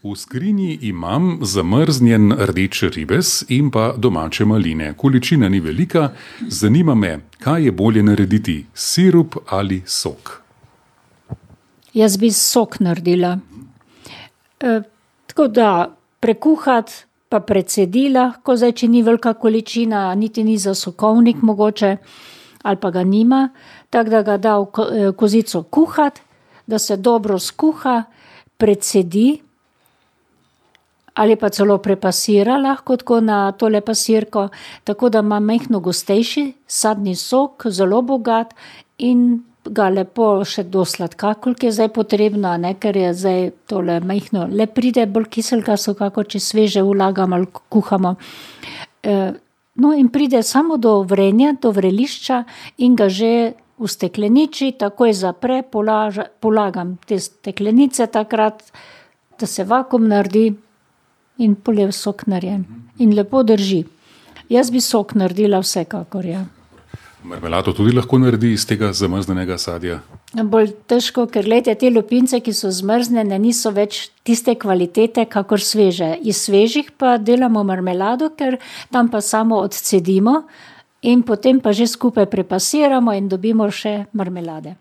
V skrinji imam zamrznjen rdeč ribez in pa domače maline. Količina ni velika, zanima me, kaj je bolje narediti, sirup ali sok? Jaz bi sok naredila. Tako da prekuhati pa precedila, ko zdaj, če ni velika količina, niti ni za sokovnik mogoče, ali pa ga nima, tako da ga da v kozico kuhati, da se dobro skuha, precedi, ali pa celo prepasira lahko tako na tole pasirko, tako da ima majhno gostejši sadni sok, zelo bogat in ga lepo še do sladka, koliko je zdaj potrebno, ne, ker je zdaj tole majhno, le pride bolj kiselka soka, kot če sveže vlagamo ali kuhamo. No, in pride samo do vrenja, do vrelišča in ga že v stekleniči takoj zapre, polagam te steklenice takrat, da se vakuum naredi in pol je sok narejen. In lepo drži. Jaz bi sok naredila vsekakor, ja. Marmelado tudi lahko naredi iz tega zamrznenega sadja? Bolj težko, ker glejte, te lupince, ki so zmrznjene, niso več tiste kvalitete, kakor sveže. Iz svežih pa delamo marmelado, ker tam pa samo odcedimo in potem pa že skupaj prepasiramo in dobimo še marmelade.